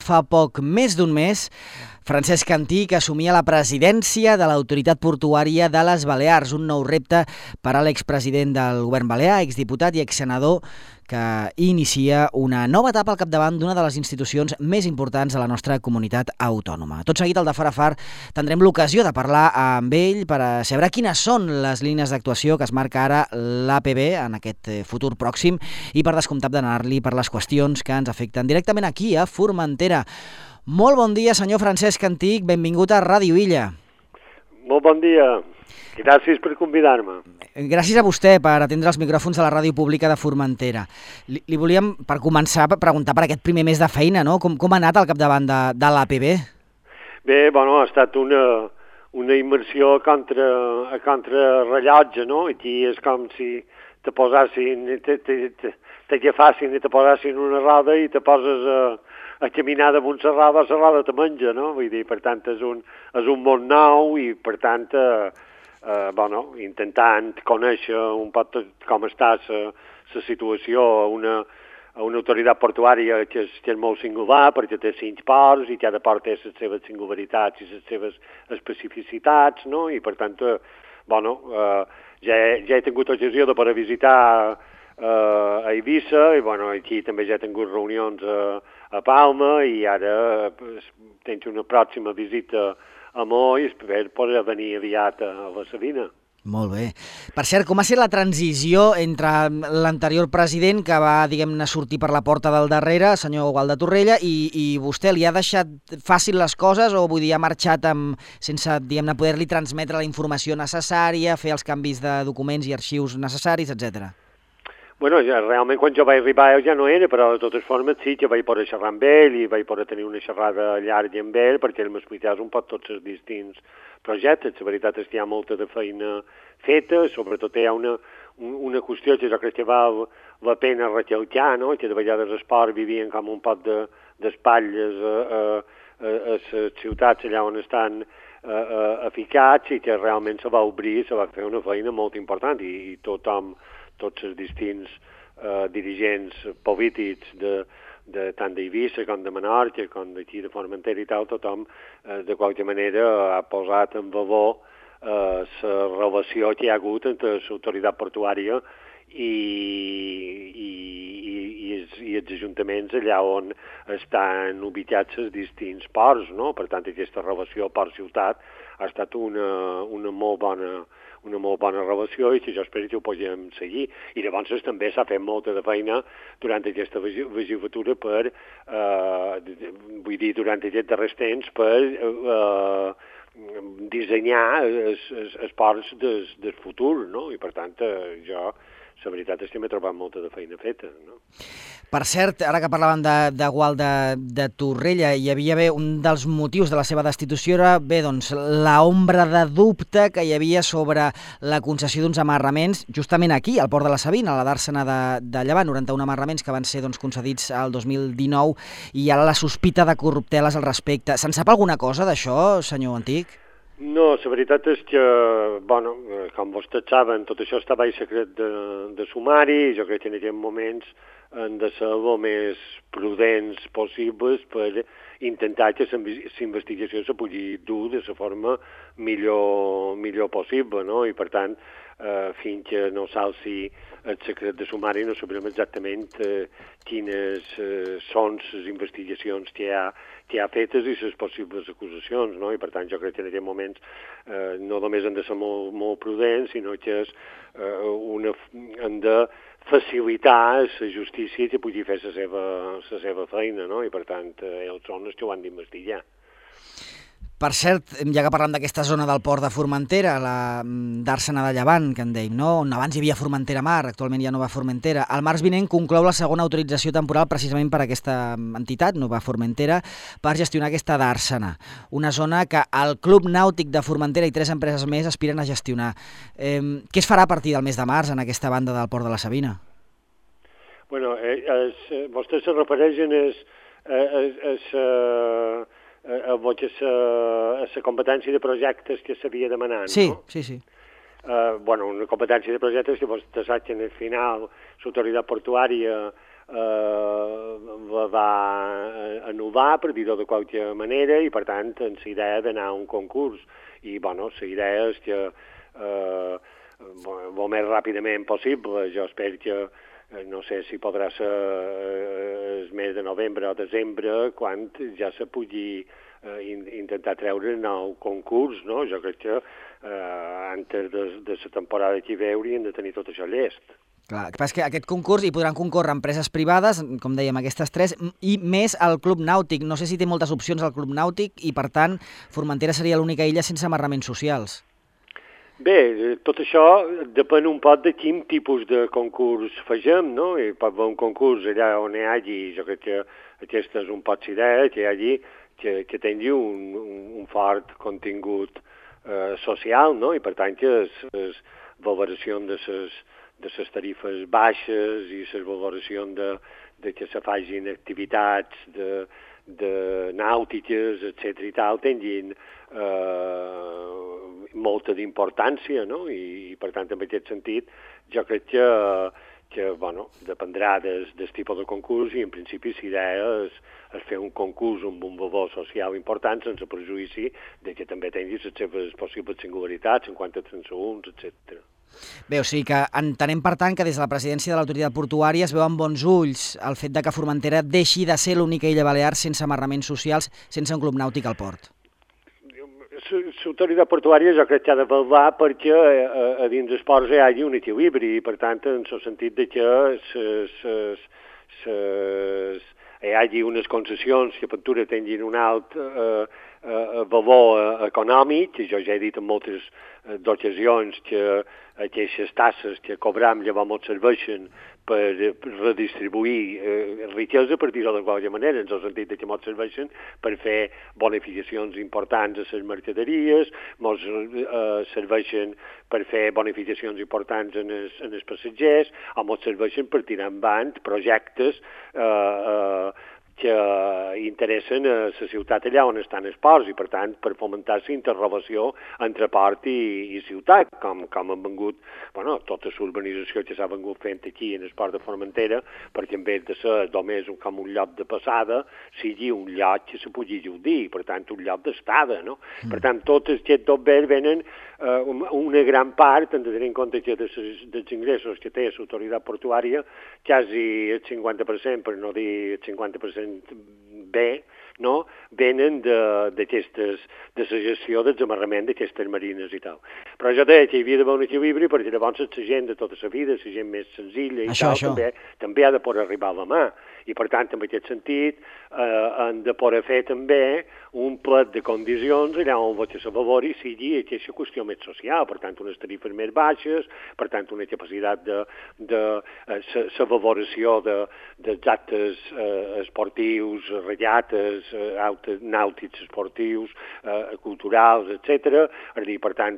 fa poc més d'un mes, Francesc Antich assumia la presidència de l'Autoritat Portuària de les Balears, un nou repte per a l'expresident del govern balear, exdiputat i exsenador, que inicia una nova etapa al capdavant d'una de les institucions més importants de la nostra comunitat autònoma. Tot seguit, al de Far a Far, tindrem l'ocasió de parlar amb ell per a saber quines són les línies d'actuació que es marca ara l'APB en aquest futur pròxim i, per descomptat, d'anar-li per les qüestions que ens afecten directament aquí, a Formentera. Molt bon dia, senyor Francesc Antich, benvingut a Ràdio Illa. Molt bon dia. Gràcies per convidar-me. Gràcies a vostè per atendre els micròfons de la Ràdio Pública de Formentera. Li volíem, per començar, preguntar per aquest primer mes de feina, no? Com ha anat al capdavant de l'APB? Bé, bueno, ha estat una immersió a contrarrellotge, no? Aquí és com si te posassin, t'agafassin i te posassin una roda i te poses a caminar damunt la roda te menja, no? Vull dir, per tant, és un món nou i, per tant, intentant conèixer un poc com està la situació a una autoritat portuària que és molt singular perquè té 5 ports i cada port té les seves singularitats i les seves especificitats, no? I per tant, ja he tingut ocasió de poder visitar a Eivissa i aquí també ja he tingut reunions a Palma i ara tens una pròxima visita a Mo i espero poder venir aviat a la Sabina. Molt bé. Per cert, com ha estat la transició entre l'anterior president que va, diguem-ne, sortir per la porta del darrere, senyor Gual de Torrella, i vostè li ha deixat fàcil les coses o vull dir, ha marxat sense, diguem-ne, poder-li transmetre la informació necessària, fer els canvis de documents i arxius necessaris, etcètera? Bueno, realment quan jo vaig arribar ja no era, però de totes formes sí que vaig poder xerrar amb ell i vaig poder tenir una xerrada llarga amb ell perquè ell m'expliqués un poc tots els distints projectes. La veritat és que hi ha molta de feina feta, sobretot hi ha una qüestió que jo crec que val la pena recalcar, no? Que de vegades l'esport vivien com un poc d'espatlles a les ciutats allà on estan eficats i que realment se va obrir, se va fer una feina molt important i tothom, tots els distints dirigents polítics tant d'Eivissa com de Menorca, com d'aquí de Formentera i tal, tothom de qualque manera ha posat en valor la relació que hi ha hagut entre l'autoritat portuària i els ajuntaments allà on estan ubicats els distints ports, no? Per tant, aquesta relació port-ciutat ha estat una molt bona relació i que jo espero que ho podem seguir. I llavors també s'ha fet molta de feina durant aquesta legislatura durant aquests darrers temps per dissenyar els ports del futur, no? I per tant jo la veritat és que m'he trobat molta de feina feta, no? Per cert, ara que parlàvem de Gual de Torrella, hi havia un dels motius de la seva destitució era, l'ombra de dubte que hi havia sobre la concessió d'uns amarraments, justament aquí, al port de la Sabina, a la dàrsena de Llevant, 91 amarraments que van ser concedits al 2019, i ara la sospita de corrupteles al respecte. Se'n sap alguna cosa d'això, senyor Antich? No, la veritat és que, com vostès saben, tot això estava en secret de sumari i jo crec que en aquests moments han de ser el més prudents possibles per intentar que la investigació se pugui dur de la forma millor possible, no? I per tant, fins que no s'alci el secret de sumari no sabrem exactament quines són les investigacions que hi ha fetes i les possibles acusacions, no? I per tant jo crec que en aquests moments no només han de ser molt prudents, sinó que han de facilitar la justícia que pugui fer la seva feina, no? I per tant ells són els que ho han d'investigar. Per cert, ja que parlem d'aquesta zona del port de Formentera, la dàrsena de Llevant, que en dèiem, no? On abans hi havia Formentera Mar, actualment ja no va Formentera. El març vinent conclou la segona autorització temporal precisament per aquesta entitat, Nova Formentera, per gestionar aquesta dàrsena. Una zona que el Club Nàutic de Formentera i 3 empreses més aspiren a gestionar. Què es farà a partir del mes de març en aquesta banda del port de la Sabina? Bueno, vostès se refereixen a la competència de projectes que s'havia demanat, no? Sí. Una competència de projectes que vostè sap que al final l'autoritat portuària va anul·lar, per dir-ho de qualque manera, i per tant, amb la idea d'anar a un concurs. I, bueno, la idea és que el més ràpidament possible, jo espero que no sé si podrà ser el mes de novembre o desembre, quan ja se pugui intentar treure un nou concurs, no? Jo crec que antes de la temporada que ve haurien de tenir tot això llest. Clar, el que passa és que aquest concurs hi podran concórrer empreses privades, com dèiem, aquestes tres, i més el Club Nàutic. No sé si té moltes opcions al Club Nàutic i, per tant, Formentera seria l'única illa sense amarraments socials. Bé, tot això depèn un poc de quin tipus de concurs fagem, no? I pot haver un concurs allà on hi hagi, jo crec que aquesta és un poc idea, que hi hagi, que tingui un fort contingut social, no? I per tant que la valoració de les tarifes baixes i la valoració de que se facin activitats de nàutiques, etc. i tal, tinguin molta d'importància, no? I per tant, en aquest sentit, jo crec que bueno, dependrà del tipus de concurs i en principi la idea és fer un concurs amb un valor social important sense prejudici de que també tingui les seves possibles singularitats en quant a transeünts, etc. Bé, o sigui que entenem, per tant, que des de la presidència de l'autoritat portuària es veu amb bons ulls el fet de que Formentera deixi de ser l'única illa balear sense amarraments socials, sense un club nàutic al port. L'autoritat portuària jo crec que ha de vetllar perquè a dins dels ports hi hagi un equilibri i, per tant, en el sentit de que hi hagi unes concessions que per tu tinguin un alt valor econòmic, que jo ja he dit en moltes ocasions que aquestes tasses que cobram llavors serveixen per redistribuir riquesa, per dir-ho de qualque manera, en el sentit que ens serveixen per fer bonificacions importants a les mercaderies, ens serveixen per fer bonificacions importants en els passatgers, o ens serveixen per tirar endavant projectes que interessen a la ciutat allà on estan els ports i, per tant, per fomentar la interrelació entre port i ciutat, com han vengut, bueno, tota l'urbanització que s'ha vengut fent aquí en el port de Formentera, perquè en vez de ser només com un lloc de passada, sigui un lloc que se pugui gaudir, per tant, un lloc d'estada, no? Per tant, tots aquests dos béns venen una gran part, hem de tenir en compte que dels ingressos que té l'autoritat portuària, quasi el 50%, per no dir el 50% bé, no? Venen de la gestió del desamarrament d'aquestes marines i tal. Però jo deia que hi havia d'haver un equilibri perquè llavors la gent de tota la vida, la gent més senzilla i tal, també ha de poder arribar a la mà. I per tant, en aquest sentit, han de poder fer també un plet de condicions allà on se valori sigui aquesta qüestió més social, per tant, unes tarifes més baixes, per tant, una capacitat de la valoració dels actes esportius, regates, nàutics esportius, culturals, etc. És a dir, per tant,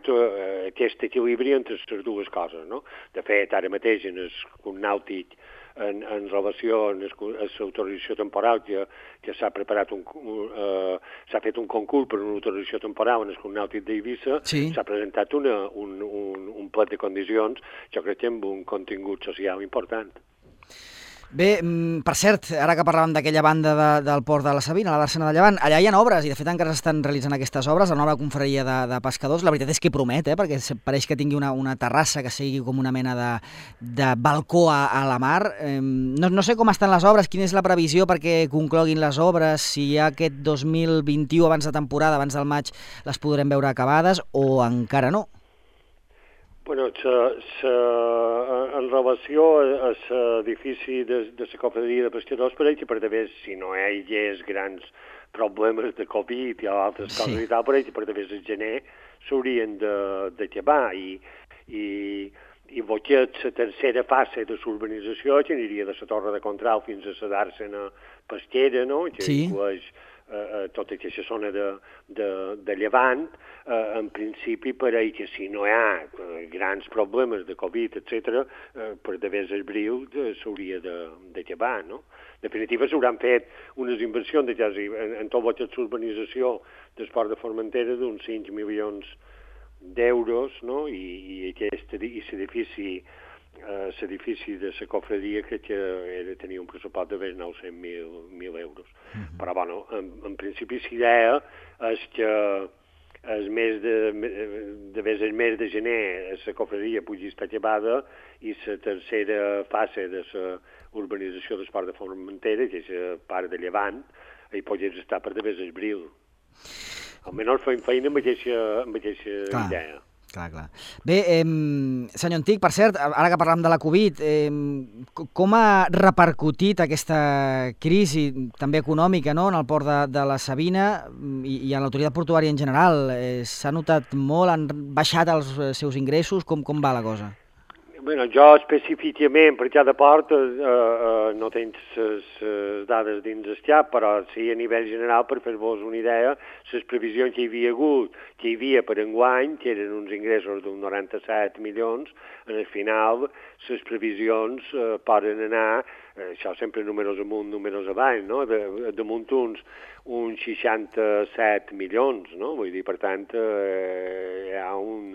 aquest equilibri entre les dues coses, no? De fet, ara mateix en el nàutic en relació a l'autorització temporal que s'ha preparat s'ha fet un concurs per una autorització temporal en el Club Nàutic d'Eivissa, s'ha presentat un plet de condicions, jo crec que amb un contingut social important. Bé, per cert, ara que parlàvem d'aquella banda del port de la Sabina, la d'Àrcena de Llevant, allà hi ha obres, i de fet encara s'estan realitzant aquestes obres, la nova confraria de pescadors. La veritat és que promet, perquè pareix que tingui una terrassa que sigui com una mena de balcó a la mar. No sé com estan les obres, quina és la previsió perquè concloguin les obres, si ja aquest 2021, abans de temporada, abans del maig, les podrem veure acabades o encara no? Bueno, en relació a l'edifici de la confraria de pescadors, pareix que per d'haver, si no hi hagués grans problemes de Covid i altres coses i tal, pareix que per d'haver el gener s'haurien d'acabar i que la tercera fase de l'urbanització, que aniria de la Torre de Contrau fins a la d'Àrcena pesquera, no? Que inclueix tota aquesta zona de Llevant, en principi pareix que si no hi ha grans problemes de Covid, etc., per d'haver el bril s'hauria d'acabar, no? En definitiva, s'hauran fet unes inversions en tot l'urbanització del port de Formentera d'uns 5 milions d'euros, no? I l'edifici l'edifici de la cofradia que tenia un pressupost de més 900.000 euros. Però, bueno, en principi l'idea és que el mes de gener la cofradia pugui estar acabada i la tercera fase de la urbanització d'Esport de Formentera, que és la part de Llevant, hi podria estar per de abril. Almenys fem feina amb aquesta idea. Clar. Bé, senyor Antic, per cert, ara que parlam de la Covid, com ha repercutit aquesta crisi també econòmica, no?, en el port de la Sabina i en l'autoritat portuària en general? S'ha notat molt? Han baixat els seus ingressos? Com va la cosa? Bueno, jo específicament per cada port no tens les dades dins el xap, però sí a nivell general, per fer-vos una idea, les previsions que hi havia per enguany, que eren uns ingressos d'un 97 milions, en el final les previsions poden anar, això sempre números amunt, números avall, no? Damunt uns 67 milions, no? Vull dir, per tant, hi ha un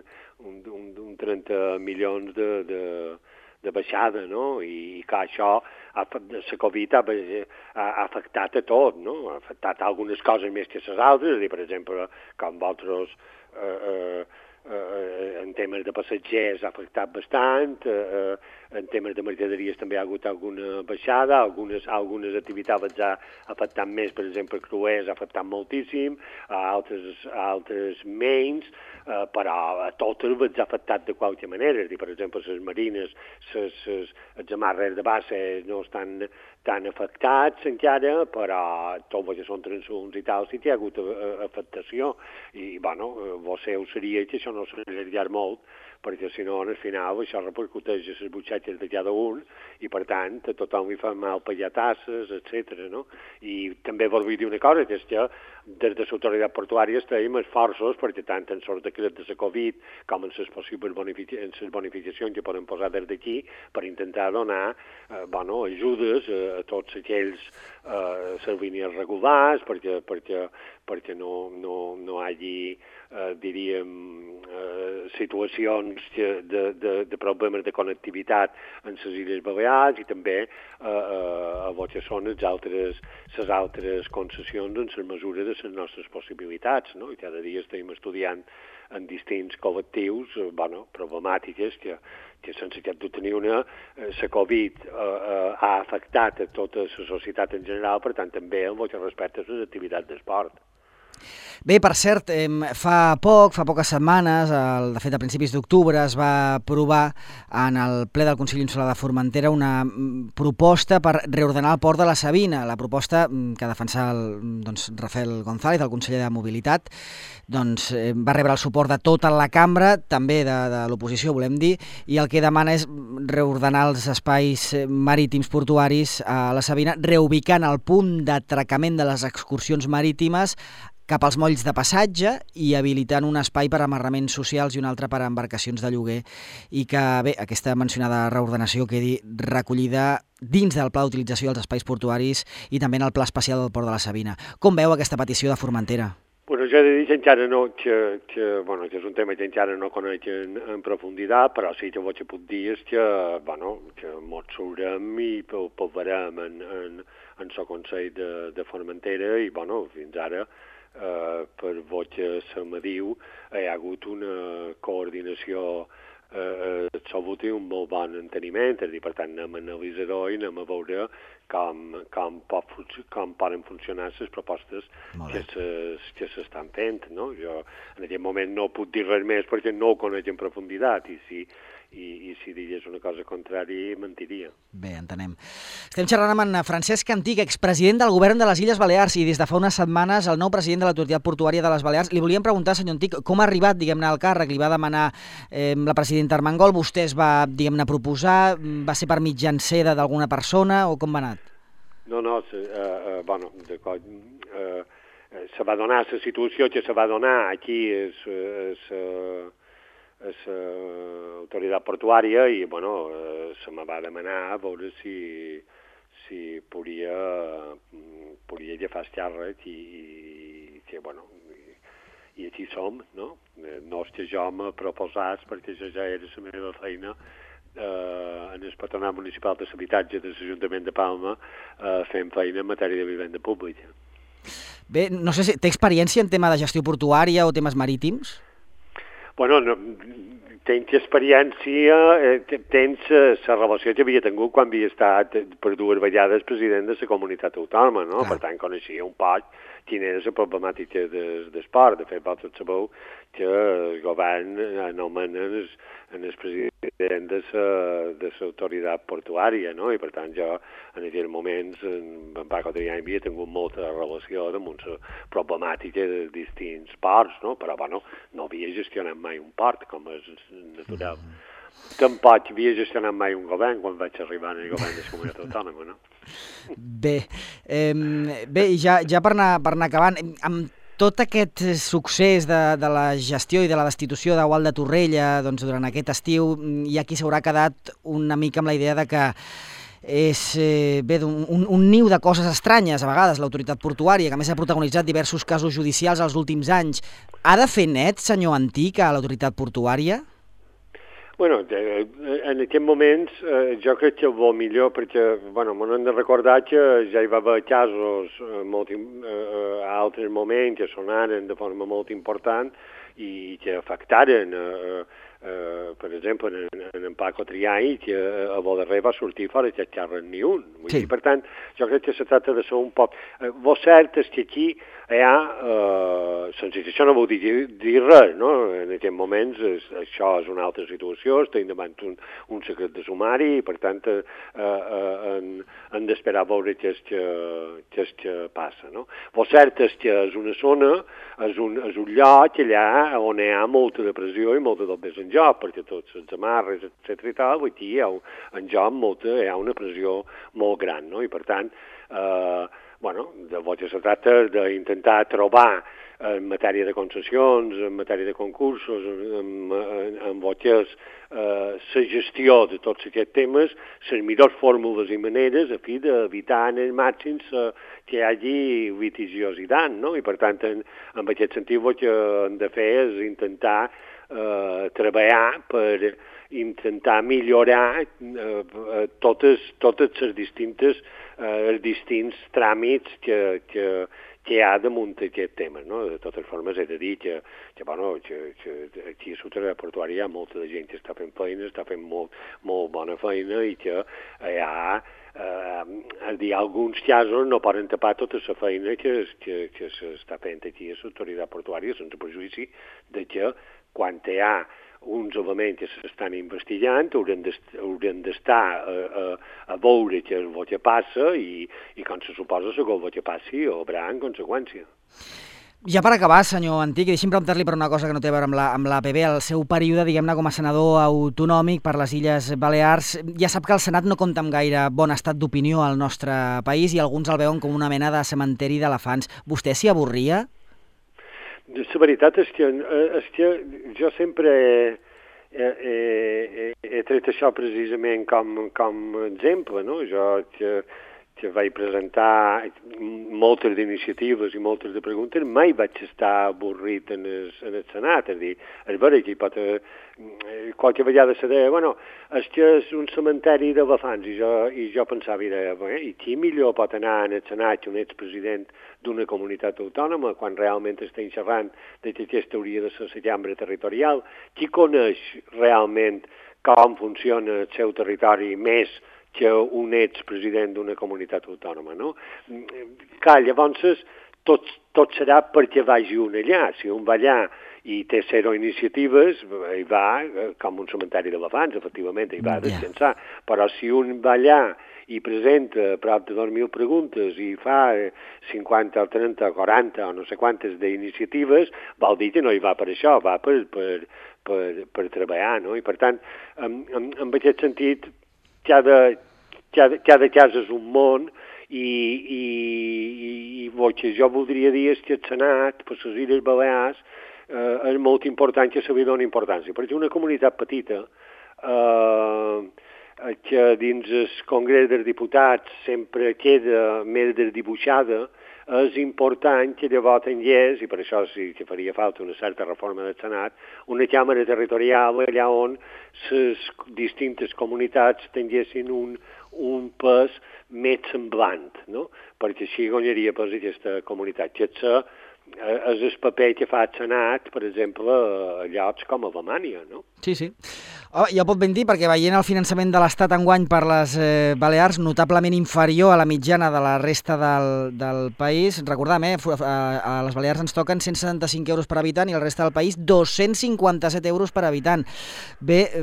30 milions de baixada, no? I que això, la Covid ha afectat a tot, no? Ha afectat algunes coses més que les altres, per exemple, com vosaltres en temes de passatgers ha afectat bastant, en temes de mercaderies també ha hagut alguna baixada, algunes activitats ha afectat més, per exemple, cruers ha afectat moltíssim, altres menys, però a totes els ha afectat de qualque manera. Per exemple, les marines, els amarres de base no estan tan afectats encara, però tot el que són transuns i tal sí que hi ha hagut afectació. I, bueno, ho seria que això no s'allargar molt, perquè si no, al final, això repercuteix a les butxaques de cada un i, per tant, a tothom li fa mal pagar tasses, etc. No? I també vol dir una cosa, que és que des de l'autoritat portuària estem esforços, perquè tant en els decrets de la Covid com en les possibles bonificacions que poden posar des d'aquí, per intentar donar ajudes a tots aquells servinis regulars, perquè no hagi, diríem, situacions de problemes de connectivitat en les Illes Balears i també a el que són les altres concessions en la mesura de les nostres possibilitats, no? I cada dia estem estudiant en distints col·lectius problemàtiques que sense cap dubte ni una, la Covid ha afectat a tota la societat en general, per tant també en el que respecta a les activitats d'esport. Bé, per cert, fa poques setmanes, de fet a principis d'octubre, es va aprovar en el ple del Consell Insular de Formentera una proposta per reordenar el port de la Sabina. La proposta que defensa Rafael González, el conseller de Mobilitat, va rebre el suport de tota la cambra, també de l'oposició, volem dir, i el que demana és reordenar els espais marítims portuaris a la Sabina, reubicant el punt d'atracament de les excursions marítimes cap als molls de passatge i habilitant un espai per a amarraments socials i un altre per a embarcacions de lloguer, i que, bé, aquesta mencionada reordenació quedi recollida dins del pla d'utilització dels espais portuaris i també en el pla especial del Port de la Sabina. Com veu aquesta petició de Formentera? Bueno, jo he de dir que encara no, que és un tema que encara no conec en profunditat, però sí que el que puc dir és que mos sabrem i parlarem en el Consell de Formentera i, fins ara, per el que se me diu, hi ha hagut una coordinació absoluta i un molt bon enteniment, és a dir, per tant, anem a analitzar-ho i anem a veure com poden funcionar les propostes que s'estan fent, no? Jo en aquest moment no puc dir res més perquè no ho conec en profunditat i si digués una cosa contrària mentiria. Bé, entenem. Estem xerrant amb en Francesc Antich, expresident del govern de les Illes Balears i des de fa unes setmanes el nou president de l'Autoritat Portuària de les Balears. Li volíem preguntar, senyor Antich, com ha arribat, diguem-ne, al càrrec? Li va demanar la presidenta Armengol, vostè es va, diguem-ne, proposar, va ser per mitjancera d'alguna persona o com va anar? No, d'acord. Se va donar la situació que se va donar aquí a l'autoritat portuària i, se me va demanar a veure si podia agafar el càrrec i aquí som, no? No és que jo me proposàs perquè això ja era la meva feina en el Patronat Municipal de l'Habitatge de l'Ajuntament de Palma fent feina en matèria de vivenda pública. Bé, no sé si té experiència en tema de gestió portuària o temes marítims? Bueno, no, tens experiència, tens la relació que havia tingut quan havia estat per 2 vegades president de la comunitat autònoma, no? Per tant, coneixia un poc quina era la problemàtica d'esport. De fet, vosaltres sabeu que el govern anomena en el president de l'autoritat portuària, no? I per tant jo en aquells moments en Paco Triany havia tingut molta relació amb la problemàtica de distints ports, no? Però bueno, no havia gestionat mai un port, com és natural. Tampoc havia gestionat mai un govern quan vaig arribar en el govern de la comunitat autònoma, no? Bé, i ja per anar acabant, amb tot aquest succés de la gestió i de la destitució de Gual de Torrella doncs, durant aquest estiu, hi ha qui s'haurà quedat una mica amb la idea de que és un niu de coses estranyes, a vegades, l'autoritat portuària, que a més ha protagonitzat diversos casos judicials els últims anys. Ha de fer net, senyor Antic, a l'autoritat portuària? Bueno, en aquests moments jo crec que el millor, perquè m'han de recordar que ja hi va haver casos a altres moments que sonaren de forma molt important i que afectaren, per exemple, en Paco Triany, que a Boderrer va sortir fora aquest càrrec ni un. Sí. Per tant, jo crec que se tracta de ser un poc... Lo cert és que aquí hi ha... sense això no vol dir res, no? En aquests moments això és una altra situació, estem davant un secret de sumari i, per tant, hem d'esperar a veure què és que passa, no? Lo cert és que és una zona, és un lloc allà on hi ha molta depressió i molta dobbes en joc, perquè tots els amarres, etc. i tal, aquí hi ha en joc hi ha una pressió molt gran, no? I per tant, llavors se tracta d'intentar trobar en matèria de concessions, en matèria de concursos, en el que és la gestió de tots aquests temes, les millors fórmules i maneres a fi d'evitar en el màxim que hi hagi litigiositat, no? I per tant, en aquest sentit, el que hem de fer és intentar treballar per intentar millorar totes les distints tràmits que hi ha damunt aquest tema, no? De totes formes, he de dir que aquí a l'autoritat portuària hi ha molta de gent que està fent feina, està fent molt bona feina i que hi ha alguns casos no poden tapar tota la feina que s'està fent aquí a l'autoritat portuària sense perjudici de que quan hi ha uns elements que s'estan investigant haurem d'estar a veure què és el que passa i com se suposa segons el que passi o haurà en conseqüència. Ja per acabar, senyor Antic, deixi'm preguntar-li per una cosa que no té a veure amb l'APB. El seu període, diguem-ne, com a senador autonòmic per les Illes Balears, ja sap que el Senat no compta amb gaire bon estat d'opinió al nostre país i alguns el veuen com una mena de cementeri d'elefants. Vostè s'hi avorria? La veritat és que jo sempre he tret això precisament com exemple, no? Jo que vaig presentar moltes d'iniciatives i moltes de preguntes, mai vaig estar avorrit en el Senat. És a dir, és vera que hi pot... qualque vegada se deia, és que és un cementeri d'elefants, i jo pensava, i qui millor pot anar en el Senat que un expresident d'una comunitat autònoma, quan realment estem xerrant que aquesta hauria de ser la cambra territorial? Qui coneix realment com funciona el seu territori més que un expresident d'una comunitat autònoma, no? Clar, llavors tot serà perquè vagi un allà. Si un va allà i té 0 iniciatives, hi va com un cementeri d'elefants, efectivament, hi va a descansar. Però si un va allà i presenta prop de 2.000 preguntes i fa 50 o 30 o 40 o no sé quantes d'iniciatives, vol dir que no hi va per això, va per treballar, no? I per tant, en aquest sentit, cada cas és un món i el que jo voldria dir és que el Senat, per les Illes Balears, és molt important que se li doni importància, perquè una comunitat petita que dins el Congrés dels Diputats sempre queda més desdibuixada, és important que llavors tingués, i per això sí que faria falta una certa reforma del Senat, una càmera territorial allà on les distintes comunitats tinguessin un pes més semblant, no? Perquè així guanyaria pes aquesta comunitat. Que és el paper que fa el Senat, per exemple, a llocs com a Alemanya, no? Sí, sí. Ja ho pot ben dir, perquè veient el finançament de l'Estat enguany per les Balears, notablement inferior a la mitjana de la resta del país. Recordem, a les Balears ens toquen 175 euros per habitant i al resta del país 257 euros per habitant. Bé,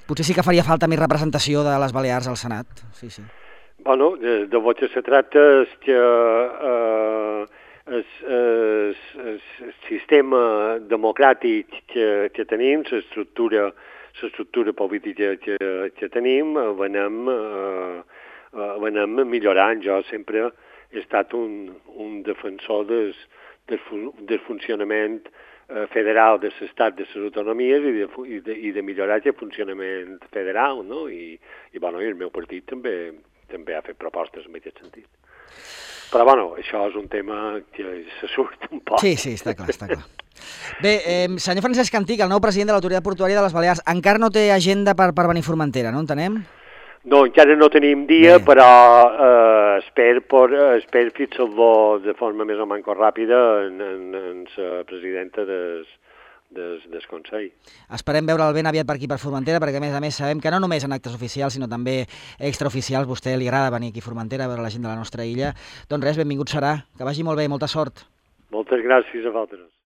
potser sí que faria falta més representació de les Balears al Senat. Sí, sí. Bueno, de lo que se tracta és que el sistema democràtic que tenim, l'estructura política que tenim, l'anem millorant. Jo sempre he estat un defensor del funcionament federal de l'estat, de les autonomies i de millorar aquest funcionament federal, no? I el meu partit també ha fet propostes en aquest sentit. Però, això és un tema que se surt un poc. Sí, està clar, està clar. Bé, senyor Francesc Antich, el nou president de l'Autoritat Portuària de les Balears, encara no té agenda per venir a Formentera, no entenem? No, encara no tenim dia, però espero fixar-lo de forma més o menys ràpida en la presidenta del Consell. Esperem veure'l ben aviat per aquí, per Formentera, perquè a més sabem que no només en actes oficials, sinó també extraoficials, a vostè li agrada venir aquí a Formentera a veure la gent de la nostra illa. Doncs res, benvingut serà, que vagi molt bé, molta sort. Moltes gràcies a vosaltres.